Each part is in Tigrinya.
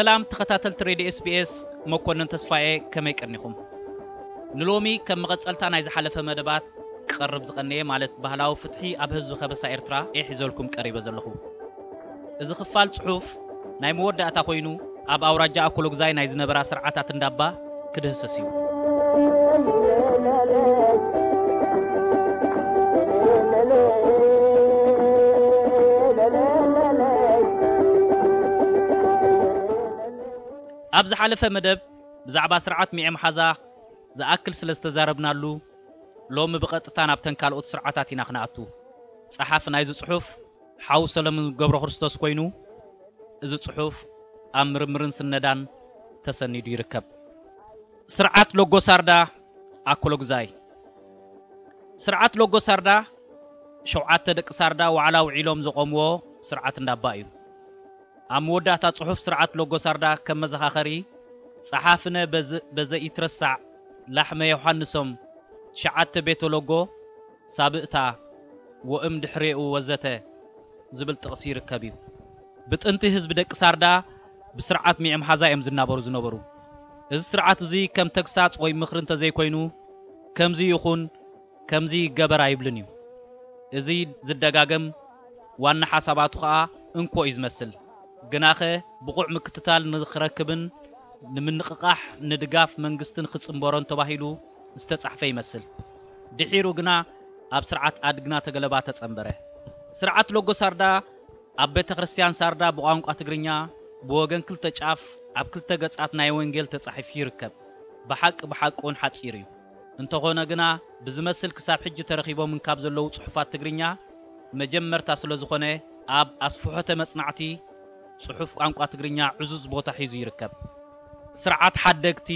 ሰላም ተኸታተልቲ ሬድዮ ኤስቢኤስ፣ መኮንን ተስፋዬ፣ ከመይ ቀኒኹም? ንሎሚ ከም መቐጸልታ ናይ ዝሓለፈ መደባት ክቐርብ ዝቐነየ፣ ማለት ባህላዊ ፍትሒ ኣብ ህዝቢ ከበሳ ኤርትራ፣ እየ ሒዘልኩም ቀሪበ ዘለኹ። እዚ ክፋል ጽሑፍ ናይ መወዳእታ ኮይኑ፣ ኣብ ኣውራጃ ኣኮሎግዛይ ናይ ዝነበራ ስርዓታት እንዳባ ክድህሰስ እዩ። ኣብ ዝሓለፈ መደብ ብዛዕባ ስርዓት ሚዔ መሓዛ ዝኣክል ስለ ዝተዛረብናሉ፣ ሎሚ ብቐጥታ ናብተን ካልኦት ስርዓታት ኢና ክንኣቱ። ጸሓፊ ናይዚ ጽሑፍ ሓው ሰለሙን ገብረክርስቶስ ኮይኑ፣ እዚ ጽሑፍ ኣብ ምርምርን ስነዳን ተሰኒዱ ይርከብ። ስርዓት ሎጎ ሳርዳ ኣኮሎግዛይ። ስርዓት ሎጎ ሳርዳ፣ ሸውዓተ ደቂ ሳርዳ ዋዕላ ውዒሎም ዘቖምዎ ስርዓት እንዳባ እዩ። ኣብ መወዳእታ ጽሑፍ ስርዓት ሎጎ ሳርዳ ከም መዘኻኸሪ፣ ጸሓፍነ በዘ-፣ በዘኢትረሳዕ ላሕመ ዮሃንሶም፣ ትሽዓተ ቤተ ሎጎ፣ ሳብእታ፣ ወእም ድሕሬኡ ወዘተ ዝብል ጥቕሲ ይርከብ እዩ። ብጥንቲ ህዝቢ ደቂ ሳርዳ ብስርዓት ሚዔ መሓዛ እዮም ዝናበሩ ዝነበሩ። እዚ ስርዓት እዚ ከም ተግሳጽ ወይ ምኽሪ እንተዘይኮይኑ፣ ከምዚ ይኹን፣ ከምዚ ይገበር ኣይብልን እዩ። እዚ ዝደጋገም ዋና ሓሳባቱ ኸኣ እንኮ እዩ ዝመስል። ግናኸ ብቑዕ ምክትታል ንኽረክብን ንምንቕቓሕ ንድጋፍ መንግስትን ክጽንበሮን ተባሂሉ ዝተጻሕፈ ይመስል። ድሒሩ ግና ኣብ ስርዓት ኣድግና ተገለባ ተጸንበረ። ስርዓት ሎጎ ሳርዳ ኣብ ቤተ ክርስቲያን ሳርዳ ብቋንቋ ትግርኛ ብወገን ክልተ ጫፍ ኣብ ክልተ ገጻት ናይ ወንጌል ተጻሒፉ ይርከብ። ብሓቂ ብሓቂ እውን ሓጺር እዩ። እንተኾነ ግና ብዝመስል ክሳብ ሕጂ ተረኺቦም እንካብ ዘለዉ ጽሑፋት ትግርኛ መጀመርታ ስለ ዝኾነ ኣብ ኣስፍሖተ መጽናዕቲ ጽሑፍ ቋንቋ ትግርኛ ዕዙዝ ቦታ ሒዙ ይርከብ። ስርዓት ሓደግቲ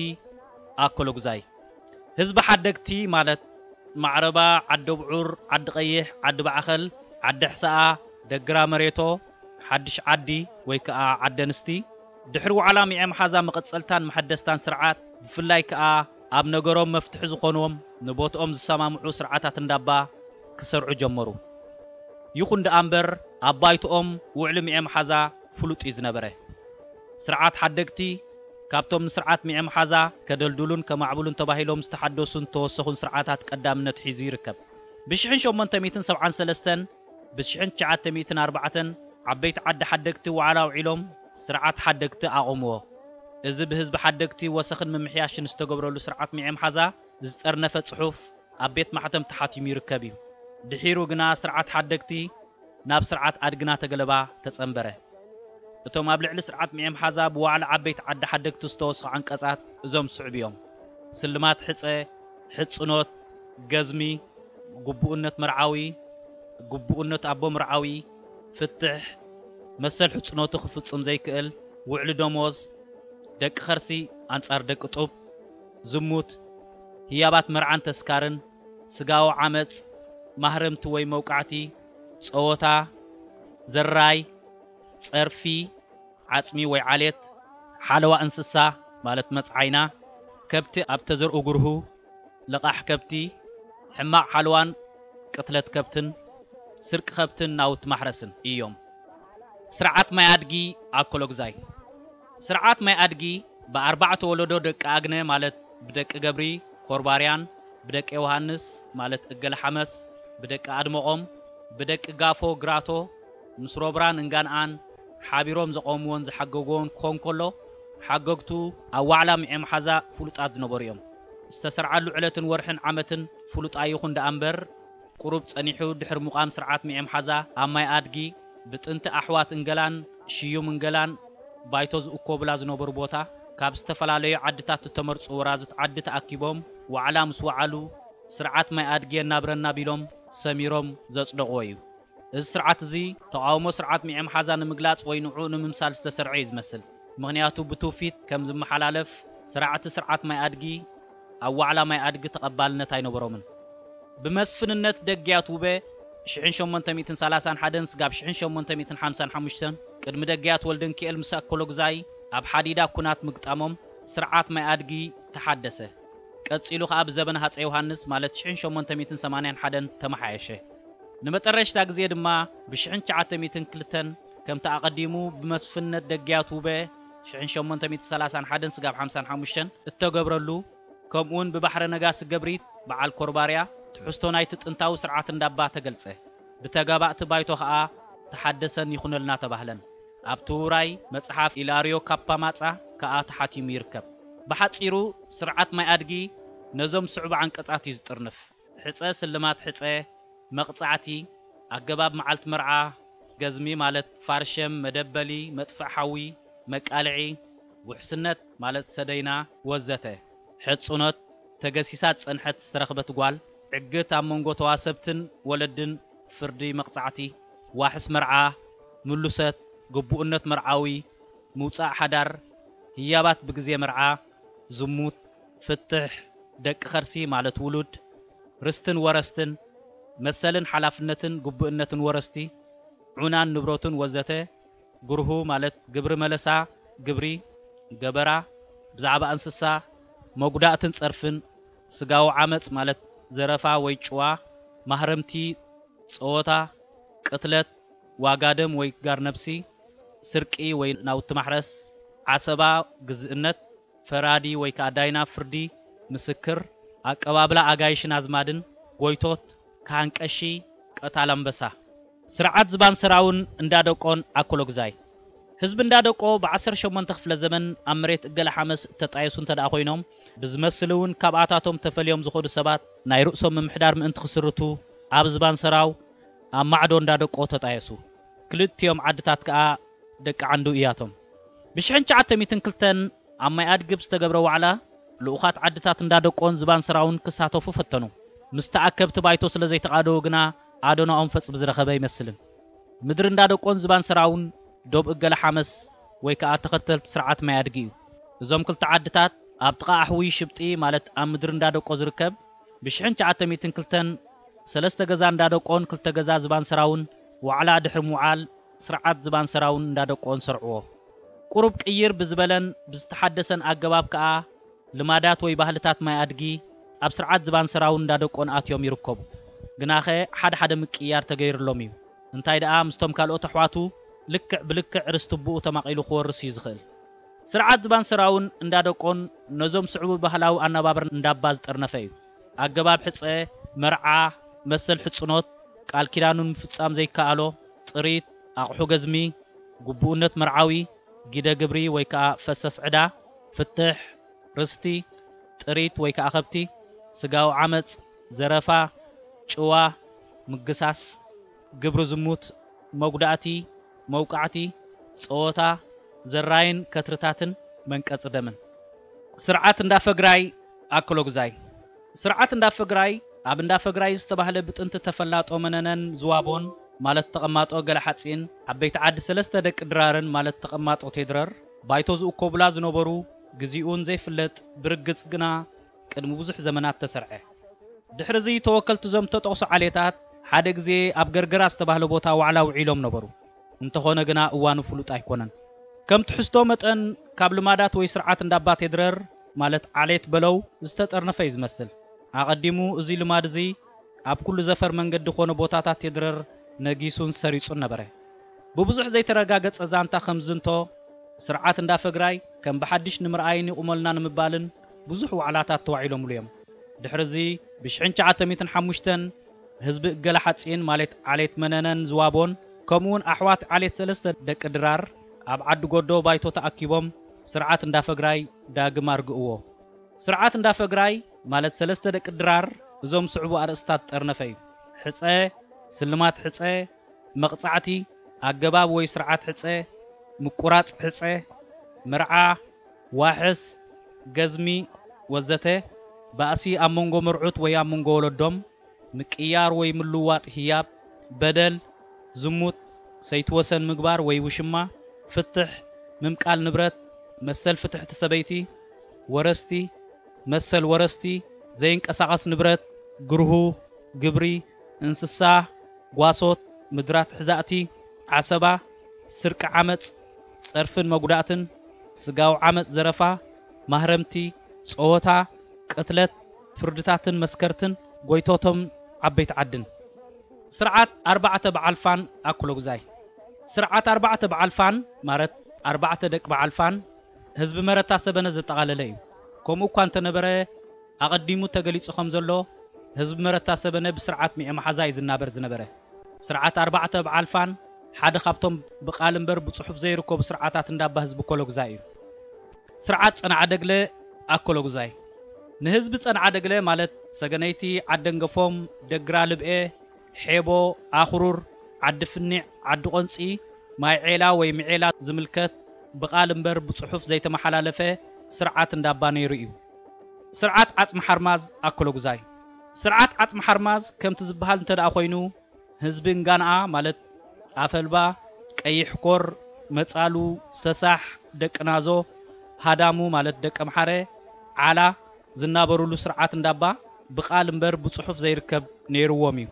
ኣኮሎጉዛይ። ህዝቢ ሓደግቲ ማለት ማዕረባ፣ ዓዲ ኣብዑር፣ ዓዲ ቀይሕ፣ ዓዲ ባዕኸል፣ ዓዲ ሕሰኣ፣ ደግራ መሬቶ፣ ሓድሽ ዓዲ ወይ ከኣ ዓዲ ኣንስቲ፣ ድሕሪ ዋዕላ ሚዔ መሓዛ መቐጸልታን መሐደስታን ስርዓት፣ ብፍላይ ከኣ ኣብ ነገሮም መፍትሒ ዝኾንዎም ንቦትኦም ዝሰማምዑ ስርዓታት እንዳባ ክሰርዑ ጀመሩ። ይኹን ደኣ እምበር ኣብ ባይትኦም ውዕሊ ሚዔ መሓዛ ፍሉጥ እዩ ዝነበረ። ስርዓት ሓደግቲ ካብቶም ንስርዓት ሚዔ መሓዛ ከደልድሉን ከማዕብሉን ተባሂሎም ዝተሓደሱን ዝተወሰኹን ስርዓታት ቀዳምነት ሒዙ ይርከብ። ብሽሕን ሸሞንተ ሚእትን ሰብዓን ሰለስተን ብሽሕን ትሽዓተ ሚእትን ኣርባዕተን ዓበይቲ ዓዲ ሓደግቲ ዋዕላ ኣውዒሎም ስርዓት ሓደግቲ ኣቖምዎ። እዚ ብህዝቢ ሓደግቲ ወሰኽን ምምሕያሽን ዝተገብረሉ ስርዓት ሚዔ መሓዛ ዝጠርነፈ ጽሑፍ ኣብ ቤት ማሕተም ተሓቲሙ ይርከብ እዩ። ድሒሩ ግና ስርዓት ሓደግቲ ናብ ስርዓት ኣድግና ተገለባ ተጸንበረ። እቶም ኣብ ልዕሊ ስርዓት ሚዔ መሓዛ ብዋዕላ ዓበይቲ ዓዲ ሓደግቲ ዝተወስኹ ዓንቀጻት እዞም ዝስዕቡ እዮም። ስልማት ሕጸ፣ ሕጽኖት፣ ገዝሚ፣ ግቡእነት መርዓዊ፣ ግቡእነት ኣቦ መርዓዊ፣ ፍትሕ፣ መሰል ሕጽኖቱ ክፍጽም ዘይክእል፣ ውዕሊ ደሞዝ፣ ደቂ ኸርሲ ኣንጻር ደቂ ጡብ፣ ዝሙት፣ ህያባት መርዓን ተስካርን፣ ስጋዊ ዓመጽ፣ ማህረምቲ ወይ መውቃዕቲ፣ ጸወታ፣ ዘራይ፣ ጸርፊ፣ ዓጽሚ ወይ ዓሌት፣ ሓለዋ እንስሳ ማለት መጽዓይና፣ ከብቲ ኣብ ተዘርኡ ግርሁ፣ ልቓሕ ከብቲ፣ ሕማቕ ሓለዋን ቅትለት ከብትን፣ ስርቂ ከብትን ናውቲ ማሕረስን እዮም። ስርዓት ማይ ኣድጊ ኣኮሎግዛይ። ስርዓት ማይ ኣድጊ ብኣርባዕተ ወለዶ ደቂ ኣግነ ማለት ብደቂ ገብሪ ኮርባርያን፣ ብደቂ ዮሃንስ ማለት እገለ ሓመስ፣ ብደቂ ኣድመቖም፣ ብደቂ ጋፎ ግራቶ ምስ ሮብራን እንጋንኣን ሓቢሮም ዘቖምዎን ዝሓገግዎን ክኾን ከሎ፣ ሓገግቱ ኣብ ዋዕላ ሚዔ መሓዛ ፍሉጣት ዝነበሩ እዮም። ዝተሰርዓሉ ዕለትን ወርሕን ዓመትን ፍሉጥ ኣይኹን ደኣ እምበር፣ ቁሩብ ጸኒሑ ድሕሪ ምቋም ስርዓት ሚዔ መሓዛ ኣብ ማይ ኣድጊ ብጥንቲ ኣሕዋት እንገላን ሽዩም እንገላን ባይቶ ዝእኮብላ ዝነበሩ ቦታ፣ ካብ ዝተፈላለዩ ዓድታት እተመርጹ ወራዙት ዓዲ ተኣኪቦም ዋዕላ ምስ ወዓሉ፣ ስርዓት ማይ ኣድጊ የናብረና ቢሎም ሰሚሮም ዘጽደቕዎ እዩ። እዚ ስርዓት እዚ ተቓውሞ ስርዓት ሚዔ መሓዛ ንምግላጽ ወይ ንዕኡ ንምምሳል ዝተሰርዐ እዩ ዝመስል። ምኽንያቱ ብትውፊት ከም ዝመሓላለፍ፣ ሰራዕቲ ስርዓት ማይ ኣድጊ ኣብ ዋዕላ ማይ ኣድጊ ተቐባልነት ኣይነበሮምን። ብመስፍንነት ደግያት ውበ ሽሕን ሸሞንተ ሚእትን ሰላሳን ሓደን ስጋብ ሽሕን ሸሞንተ ሚእትን ሓምሳን ሓሙሽተን ቅድሚ ደግያት ወልደንኪኤል ምስ ኣኮሎግዛይ ኣብ ሓዲዳ ኩናት ምግጣሞም ስርዓት ማይ ኣድጊ ተሓደሰ። ቀጺሉ ኸኣ ብዘበነ ሃጸይ ዮሃንስ ማለት ሽሕን ሸሞንተ ሚእትን ሰማንያን ሓደን ተመሓየሸ። ንመጠረሽታ ግዜ ድማ ብሽሕን ትሽዓተ ሚእትን ክልተን ከምቲ ኣቐዲሙ ብመስፍንነት ደግያት ውበ ሽሕን ሸሞንተ ሚእቲ ሰላሳን ሓደን ስጋብ ሓምሳን ሓሙሽተን እተገብረሉ፣ ከምኡውን ብባሕረ ነጋሲ ገብሪት በዓል ኮርባርያ ትሕዝቶ ናይቲ ጥንታዊ ስርዓት እንዳባ ተገልጸ። ብተጋባእቲ ባይቶ ከኣ ተሓደሰን ይኹነልና ተባህለን። ኣብቲ ውራይ መጽሓፍ ኢላርዮ ካፓማጻ ከኣ ተሓቲሙ ይርከብ። ብሓጺሩ፣ ስርዓት ማይ ኣድጊ ነዞም ስዑብ ዓንቀጻት እዩ ዝጥርንፍ። ሕጸ፣ ስልማት ሕጸ፣ መቕጻዕቲ፣ ኣገባብ መዓልቲ መርዓ፣ ገዝሚ ማለት ፋርሸም፣ መደበሊ፣ መጥፍእ ሓዊ፣ መቃልዒ፣ ውሕስነት ማለት ሰደይና፣ ወዘተ። ሕጹኖት፣ ተገሲሳ ዝጸንሐት ዝተረኽበት ጓል፣ ዕግት ኣብ መንጎ ተዋሰብትን ወለድን፣ ፍርዲ፣ መቕጻዕቲ፣ ዋሕስ መርዓ፣ ምሉሰት፣ ግቡእነት መርዓዊ፣ ምውጻእ ሓዳር፣ ህያባት ብግዜ መርዓ፣ ዝሙት፣ ፍትሕ፣ ደቂ ኸርሲ ማለት ውሉድ፣ ርስትን ወረስትን፣ መሰልን ሓላፍነትን ግቡእነትን ወረስቲ፣ ዑናን ንብረቱን ወዘተ፣ ግርሁ ማለት ግብሪ መለሳ፣ ግብሪ፣ ገበራ፣ ብዛዕባ እንስሳ፣ መጉዳእትን ጸርፍን፣ ስጋዊ ዓመጽ ማለት ዘረፋ ወይ ጭዋ፣ ማህረምቲ፣ ጸወታ፣ ቅትለት፣ ዋጋ ደም ወይ ጋር ነብሲ፣ ስርቂ ወይ ናውቲ ማሕረስ፣ ዓሰባ፣ ግዝእነት፣ ፈራዲ ወይ ከኣ ዳይና ፍርዲ፣ ምስክር፣ ኣቀባብላ ኣጋይሽን ኣዝማድን፣ ጎይቶት፣ ካህን ቀሺ፣ ቀታል ኣንበሳ። ስርዓት ዝባን ሰራውን እንዳደቆን ኣኮሎግዛይ። ህዝቢ እንዳደቆ ብዓሰርተ ሸሞንተ ክፍለ ዘመን ኣብ መሬት እገለ ሓመስ እተጣየሱ እንተ ደኣ ኮይኖም፣ ብዝመስል እውን ካብኣታቶም ተፈልዮም ዝኸዱ ሰባት ናይ ርእሶም ምምሕዳር ምእንቲ ክስርቱ ኣብ ዝባን ሰራው ኣብ ማዕዶ እንዳደቆ ተጣየሱ። ክልቲኦም ዓድታት ከኣ ደቂ ዓንዱ እያቶም። ብሽሕን ትሽዓተ ሚእትን ክልተን ኣብ ማይ ኣድግብ ዝተገብረ ዋዕላ ልኡኻት ዓድታት እንዳደቆን ዝባን ሰራውን ክሳተፉ ፈተኑ። ምስ ተኣከብቲ ባይቶ ስለ ዘይተቓደዉ ግና ኣዶናኦም ፈጽ ብዝረኸበ ኣይመስልን። ምድሪ እንዳደቆን ዝባን ሰራውን ዶብ እገለ ሓመስ ወይ ከኣ ተኸተልቲ ስርዓት ማይ ኣድጊ እዩ። እዞም ክልተ ዓድታት ኣብ ጥቓ ኣሕዊ ሽብጢ ማለት ኣብ ምድሪ እንዳደቆ ዝርከብ ብሽሕን ትሽዓተ ሚእትን ክልተን ሰለስተ ገዛ እንዳደቆን ክልተ ገዛ ዝባን ሰራውን ዋዕላ ድሕሪ ምውዓል ስርዓት ዝባን ሰራውን እንዳደቆን ሰርዕዎ። ቁሩብ ቅይር ብዝበለን ብዝተሓደሰን ኣገባብ ከኣ ልማዳት ወይ ባህልታት ማይ ኣድጊ ኣብ ስርዓት ዝባን ሰራውን እንዳደቆን ኣትዮም ይርከቡ። ግናኸ ሓደ ሓደ ምቅይያር ተገይርሎም እዩ። እንታይ ደኣ ምስቶም ካልኦት ኣሕዋቱ ልክዕ ብልክዕ ርስቲ ኣቦኡ ተማቒሉ ክወርስ እዩ ዝኽእል። ስርዓት ዝባን ሰራውን እንዳደቆን ነዞም ስዕቡ ባህላዊ ኣነባብራ እንዳባ ዝጠርነፈ እዩ። ኣገባብ ሕጸ፣ መርዓ፣ መሰል ሕጽኖት፣ ቃል ኪዳኑን ምፍጻም ዘይከኣሎ፣ ጥሪት፣ ኣቕሑ ገዝሚ፣ ግቡእነት መርዓዊ፣ ጊደ ግብሪ ወይ ከኣ ፈሰስ ዕዳ፣ ፍትሕ፣ ርስቲ፣ ጥሪት ወይ ከኣ ከብቲ፣ ስጋዊ ዓመጽ፣ ዘረፋ፣ ጭዋ፣ ምግሳስ፣ ግብሪ ዝሙት፣ መጉዳእቲ፣ መውቃዕቲ፣ ጸወታ፣ ዘራይን ከትርታትን መንቀጺ ደምን። ስርዓት እንዳ ፈግራይ ኣኮሎግዛይ። ስርዓት እንዳ ፈግራይ ኣብ እንዳ ፈግራይ ዝተባህለ ብጥንቲ ተፈላጦ መነነን ዝዋቦን ማለት ተቐማጦ ገለ ሓጺን ዓበይቲ ዓዲ ሰለስተ ደቂ ድራርን ማለት ተቐማጦ ቴድረር ባይቶ ዝእኮቡላ ዝነበሩ ግዜኡን ዘይፍለጥ ብርግጽ ግና ቅድሚ ብዙሕ ዘመናት ተሰርዐ። ድሕሪ እዚ ተወከልቲ እዞም ተጠቕሱ ዓሌታት ሓደ ግዜ ኣብ ገርገራ ዝተባህለ ቦታ ዋዕላ ውዒሎም ነበሩ። እንተኾነ ግና እዋኑ ፍሉጥ ኣይኮነን። ከም ትሕዝቶ መጠን ካብ ልማዳት ወይ ስርዓት እንዳባ ቴድረር ማለት ዓሌት በለው ዝተጠርነፈ እዩ ዝመስል። ኣቐዲሙ እዚ ልማድ እዚ ኣብ ኩሉ ዘፈር መንገዲ ኮነ ቦታታት ቴድረር ነጊሱን ሰሪጹን ነበረ። ብብዙሕ ዘይተረጋገጸ ዛንታ ከም ዝንቶ ስርዓት እንዳ ፈግራይ ከም ብሓድሽ ንምርኣይን ይቑመልና ንምባልን ብዙሕ ዋዕላታት ተዋዒሎምሉ እዮም። ድሕሪ እዚ ብሽሕን ትሽዓተ ሚእትን ሓሙሽተን ህዝቢ እገለ ሓጺን ማለት ዓሌት መነነን ዝዋቦን ከምኡውን ኣሕዋት ዓሌት ሰለስተ ደቂ ድራር ኣብ ዓዲ ጎዶ ባይቶ ተኣኪቦም ስርዓት እንዳ ፈግራይ ዳግም ኣርግእዎ። ስርዓት እንዳ ፈግራይ ማለት ሰለስተ ደቂ ድራር እዞም ስዕቡ ኣርእስታት ጠርነፈ እዩ። ሕጸ፣ ስልማት ሕጸ፣ መቕጻዕቲ፣ ኣገባብ ወይ ስርዓት ሕጸ፣ ምቁራጽ ሕጸ፣ መርዓ፣ ዋሕስ፣ ገዝሚ ወዘተ፣ ባእሲ ኣብ መንጎ መርዑት ወይ ኣብ መንጎ ወለዶም፣ ምቅያር ወይ ምልዋጥ ህያብ፣ በደል፣ ዝሙት፣ ሰይቲ ወሰን ምግባር ወይ ውሽማ፣ ፍትሕ፣ ምምቃል ንብረት፣ መሰል ፍትሕቲ ሰበይቲ፣ ወረስቲ፣ መሰል ወረስቲ፣ ዘይንቀሳቐስ ንብረት፣ ግርሁ፣ ግብሪ፣ እንስሳ፣ ጓሶት፣ ምድራት ሕዛእቲ፣ ዓሰባ፣ ስርቂ ዓመጽ፣ ጸርፍን መጉዳእትን፣ ስጋዊ ዓመጽ ዘረፋ፣ ማህረምቲ፣ ጸወታ፣ ቅትለት፣ ፍርድታትን መስከርትን፣ ጎይቶቶም ዓበይቲ ዓድን። ስርዓት ኣርባዕተ በዓል ፋን ኣኩሎጉዛይ። ስርዓት ኣርባዕተ በዓል ፋን ማለት ኣርባዕተ ደቂ በዓል ፋን ህዝቢ መረታ ሰበነ ዘጠቓለለ እዩ። ከምኡ እኳ እንተነበረ፣ ኣቐዲሙ ተገሊጹ ከም ዘሎ፣ ህዝቢ መረታ ሰበነ ብስርዓት ሚዔ መሓዛ እዩ ዝናበር ዝነበረ። ስርዓት ኣርባዕተ ብዓልፋን ሓደ ካብቶም ብቓል እምበር ብጽሑፍ ዘይርከቡ ስርዓታት እንዳባ ህዝቢ ኮሎግዛይ እዩ። ስርዓት ጸንዓ ደግለ ኣኮሎግዛይ። ንህዝቢ ጸንዓ ደግለ ማለት ሰገነይቲ፣ ዓደንገፎም፣ ደግራ ልብኤ፣ ሔቦ፣ ኣኽሩር፣ ዓዲ ፍኒዕ፣ ዓዲ ቆንጺ፣ ማይ ዔላ ወይ ምዔላ ዝምልከት ብቓል እምበር ብጽሑፍ ዘይተመሓላለፈ ስርዓት እንዳባ ነይሩ እዩ። ስርዓት ዓጽሚ ሓርማዝ ኣኮሎጉዛይ። ስርዓት ዓጽሚ ሓርማዝ ከምቲ ዝበሃል እንተ ደኣ ኮይኑ፣ ህዝቢ እንጋንኣ ማለት ኣፈልባ፣ ቀይሕ ኮር፣ መጻሉ፣ ሰሳሕ፣ ደቂ ናዞ፣ ሃዳሙ ማለት ደቂ ኣምሓረ፣ ዓላ ዝናበሩሉ ስርዓት እንዳባ ብቓል እምበር ብጽሑፍ ዘይርከብ ነይርዎም እዩ።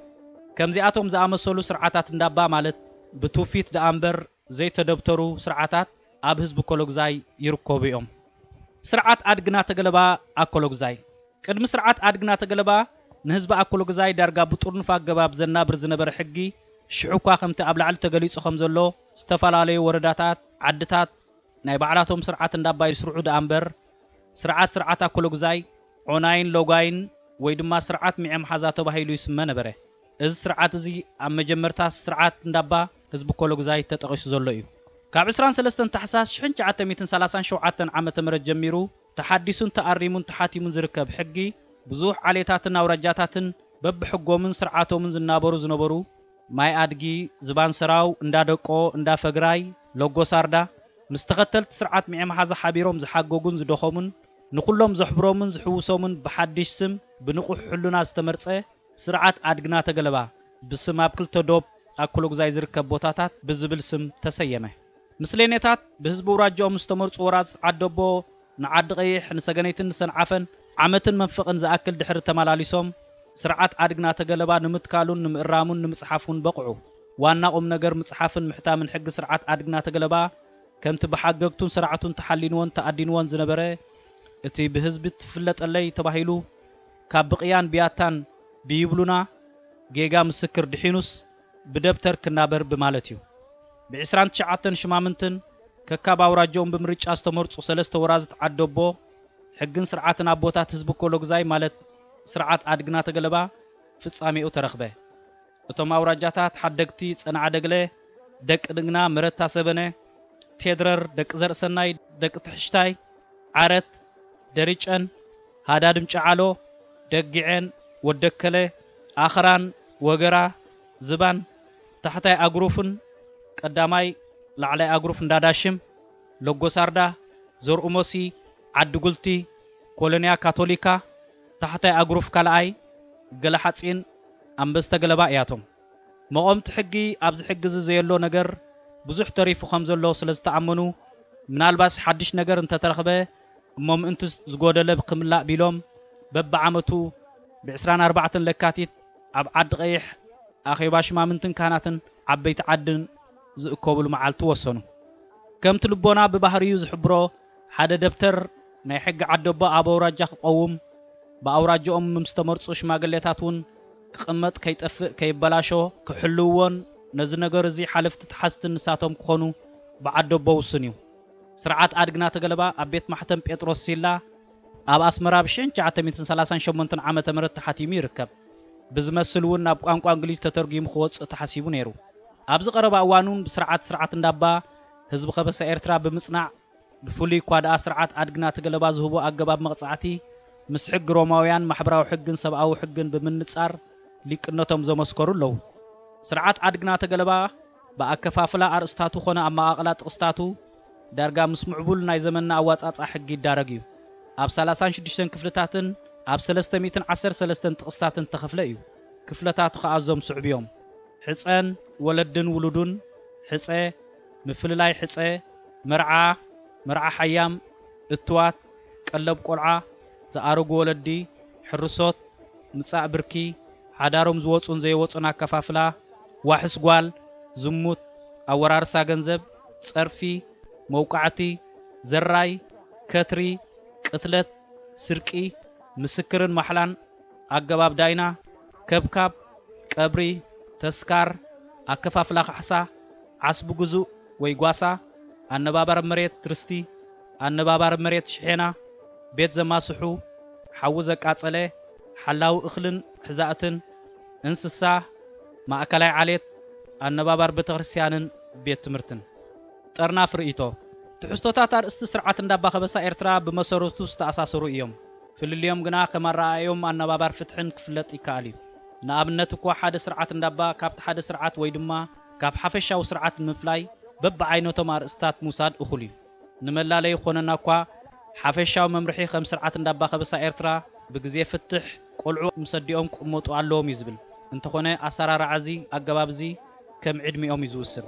ከምዚኣቶም ዝኣመሰሉ ስርዓታት እንዳባ ማለት ብትውፊት ደኣ እምበር ዘይተደብተሩ ስርዓታት ኣብ ህዝቢ ኮሎግዛይ ይርከቡ እዮም። ስርዓት ኣድግና ተገለባ ኣኮሎግዛይ። ቅድሚ ስርዓት ኣድግና ተገለባ ንህዝቢ ኣኮሎግዛይ ዳርጋ ብጥርኑፍ ኣገባብ ዘናብር ዝነበረ ሕጊ፣ ሽሕ እኳ ከምቲ ኣብ ላዕሊ ተገሊጹ ከም ዘሎ ዝተፈላለዩ ወረዳታት፣ ዓድታት ናይ ባዕላቶም ስርዓት እንዳባ ይስርዑ ደኣ እምበር፣ ስርዓት ስርዓት ኣኮሎግዛይ ዖናይን ሎጋይን ወይ ድማ ስርዓት ሚዔ መሓዛ ተባሂሉ ይስመ ነበረ። እዚ ስርዓት እዚ ኣብ መጀመርታ ስርዓት እንዳባ ህዝቢ ኮሎግዛይ ተጠቒሱ ዘሎ እዩ። ካብ ዕስራን ሰለስተን ታሕሳስ ሽሕን ትሽዓተ ሚእትን ሰላሳን ሸውዓተን ዓመተ ምህረት ጀሚሩ ተሓዲሱን ተኣሪሙን ተሓቲሙን ዝርከብ ሕጊ፣ ብዙሕ ዓሌታትን ኣውራጃታትን በብሕጎምን ስርዓቶምን ዝናበሩ ዝነበሩ፣ ማይ ኣድጊ፣ ዝባን ሰራው፣ እንዳ ደቆ፣ እንዳ ፈግራይ፣ ሎጎ ሳርዳ፣ ምስ ተኸተልቲ ስርዓት ሚዔ መሓዛ ሓቢሮም ዝሓገጉን ዝደኸሙን፣ ንኹሎም ዘሕብሮምን ዝሕውሶምን ብሓድሽ ስም ብንቑሕ ሕልና ዝተመርጸ ስርዓት ኣድግና ተገለባ ብስም ኣብ ክልተ ዶብ ኣኮሎግዛይ ዝርከብ ቦታታት ብዝብል ስም ተሰየመ። ምስሌኔታት ብህዝቢ ኣውራጃኦም ዝተመርጹ ወራዝት ዓደቦ ንዓዲ ቀይሕ፣ ንሰገነይትን ንሰንዓፈን ዓመትን መንፈቕን ዝኣክል ድሕሪ ተመላሊሶም፣ ስርዓት ኣድግና ተገለባ ንምትካሉን ንምእራሙን ንምጽሓፉን በቕዑ። ዋና ቁም ነገር ምጽሓፍን ምሕታምን ሕጊ ስርዓት ኣድግና ተገለባ ከምቲ ብሓገግቱን ሰራዕቱን ተሓሊንዎን ተኣዲንዎን ዝነበረ፣ እቲ ብህዝቢ ትፍለጠለይ ተባሂሉ ካብ ብቕያን ብያታን ብይብሉና ጌጋ ምስክር ድሒኑስ ብደብተር ክናበር ብማለት እዩ። ብዕስራን ትሽዓተን ሽማምንትን ከካብ ኣውራጃኦም ብምርጫ ዝተመርጹ ሰለስተ ወራዝት ዓደቦ፣ ሕግን ስርዓትን ኣቦታት ህዝቢ ኮሎግዛይ ማለት ስርዓት ኣድግና ተገለባ ፍጻሜኡ ተረኽበ። እቶም ኣውራጃታት ሓደግቲ ጸንዓ ደግለ፣ ደቂ ድግና፣ መረታ ሰበነ፣ ቴድረር፣ ደቂ ዘርእሰናይ፣ ደቂ ትሕሽታይ፣ ዓረት፣ ደሪጨን፣ ሃዳድም ጨዓሎ፣ ደጊዔን፣ ወደከለ፣ ኣኽራን፣ ወገራ፣ ዝባን፣ ታሕታይ ኣግሩፍን ቀዳማይ ላዕላይ ኣግሩፍ እንዳዳሽም፣ ሎጎሳርዳ፣ ዘርኡሞሲ፣ ዓዲ ጉልቲ፣ ኮሎንያ ካቶሊካ፣ ታሕታይ ኣግሩፍ ካልኣይ፣ ገለሓጺን፣ ኣንበስተ ገለባ እያቶም። መቐምቲ ሕጊ ኣብዚ ሕጊ እዚ ዘየሎ ነገር ብዙሕ ተሪፉ ከም ዘሎ ስለ ዝተኣመኑ፣ ምናልባስ ሓድሽ ነገር እንተተረኽበ እሞ ምእንቲ ዝጎደለ ክምላእ ቢሎም፣ በብዓመቱ ብዕስራን ኣርባዕተን ለካቲት ኣብ ዓዲ ቀይሕ ኣኼባ ሽማምንትን ካህናትን ዓበይቲ ዓድን ዝእከብሉ መዓልቲ ወሰኑ። ከምቲ ልቦና ብባህሪኡ ዝሕብሮ፣ ሓደ ደብተር ናይ ሕጊ ዓደቦ ኣብ ኣውራጃ ክቐውም፣ ብኣውራጃኦም ምስ ተመርጹ ሽማግሌታት እውን ክቕመጥ፣ ከይጠፍእ፣ ከይበላሾ ክሕልውዎን ነዚ ነገር እዚ ሓለፍቲ ተሓዝቲ ንሳቶም ክኾኑ ብዓደቦ ውሱን እዩ። ስርዓት ኣድግና ተገለባ ኣብ ቤት ማሕተም ጴጥሮስ ሲላ ኣብ ኣስመራ ብ ሽሕን ትሽዓተ ሚእትን ሰላሳን ሸሞንተን ዓመተ ምህረት ተሓቲሙ ይርከብ። ብዝመስል እውን ናብ ቋንቋ እንግሊዝ ተተርጒሙ ክወጽእ ተሓሲቡ ነይሩ። ኣብዚ ቀረባ እዋን እውን ብስርዓት ስርዓት እንዳባ ህዝቢ ከበሳ ኤርትራ ብምጽናዕ፣ ብፍሉይ እኳ ደኣ ስርዓት ኣድግና ተገለባ ዝህቦ ኣገባብ መቕጻዕቲ ምስ ሕጊ ሮማውያን ማሕበራዊ ሕግን ሰብኣዊ ሕግን ብምንጻር ሊቅነቶም ዘመስከሩ ኣለዉ። ስርዓት ኣድግና ተገለባ ብኣከፋፍላ ኣርእስታቱ ኾነ ኣመቓቕላ ጥቕስታቱ ዳርጋ ምስ ምዕቡል ናይ ዘመንና ኣዋጻጽኣ ሕጊ ይዳረግ እዩ። ኣብ ሰላሳን ሽዱሽተን ክፍልታትን ኣብ ሰለስተ ሚእትን ዓሰርተ ሰለስተን ጥቕስታትን ተኸፍለ እዩ። ክፍለታቱ ኸኣ እዞም ስዑብ እዮም። ሕጸን ወለድን ውሉዱን፣ ሕጸ፣ ምፍልላይ ሕጸ፣ መርዓ፣ መርዓ ሓያም፣ እትዋት፣ ቀለብ ቆልዓ፣ ዝኣረጉ ወለዲ፣ ሕርሶት፣ ምጻእ ብርኪ፣ ሓዳሮም ዝወጹን ዘይወጹን ኣከፋፍላ፣ ዋሕስ ጓል፣ ዝሙት፣ ኣወራርሳ ገንዘብ፣ ጸርፊ፣ መውቃዕቲ፣ ዘራይ፣ ከትሪ፣ ቅትለት፣ ስርቂ፣ ምስክርን ማሕላን፣ ኣገባብ ዳይና፣ ከብካብ፣ ቀብሪ፣ ተስካር፣ ኣከፋፍላ ካሕሳ፣ ዓስቢ ግዙእ ወይ ጓሳ፣ ኣነባባር መሬት ርስቲ፣ ኣነባባሪ መሬት ሽሔና፣ ቤት ዘማስሑ፣ ሓዊ ዘቃጸለ፣ ሓላዊ እኽልን ሕዛእትን፣ እንስሳ፣ ማእከላይ ዓሌት፣ ኣነባባር ቤተክርስትያንን ቤት ትምህርትን። ጠርናፍ ርእይቶ። ትሕዝቶታት ኣርእስቲ ስርዓት እንዳባ ከበሳ ኤርትራ ብመሰረቱ ዝተኣሳሰሩ እዮም። ፍልልዮም ግና ከም ኣረኣእዮም ኣነባባር ፍትሕን ክፍለጥ ይከኣል እዩ። ንኣብነት እኳ ሓደ ስርዓት እንዳባ ካብቲ ሓደ ስርዓት ወይ ድማ ካብ ሓፈሻዊ ስርዓት ንምፍላይ በብዓይነቶም ኣርእስታት ምውሳድ እኹል እዩ። ንመላለይ ይኾነና እኳ ሓፈሻዊ መምርሒ ከም ስርዓት እንዳባ ከበሳ ኤርትራ ብግዜ ፍትሕ ቆልዑ ምስ ኣዲኦም ክቕመጡ ኣለዎም እዩ ዝብል። እንተኾነ ኣሰራርዓ እዚ ኣገባብ እዚ ከም ዕድሚኦም እዩ ዝውስን።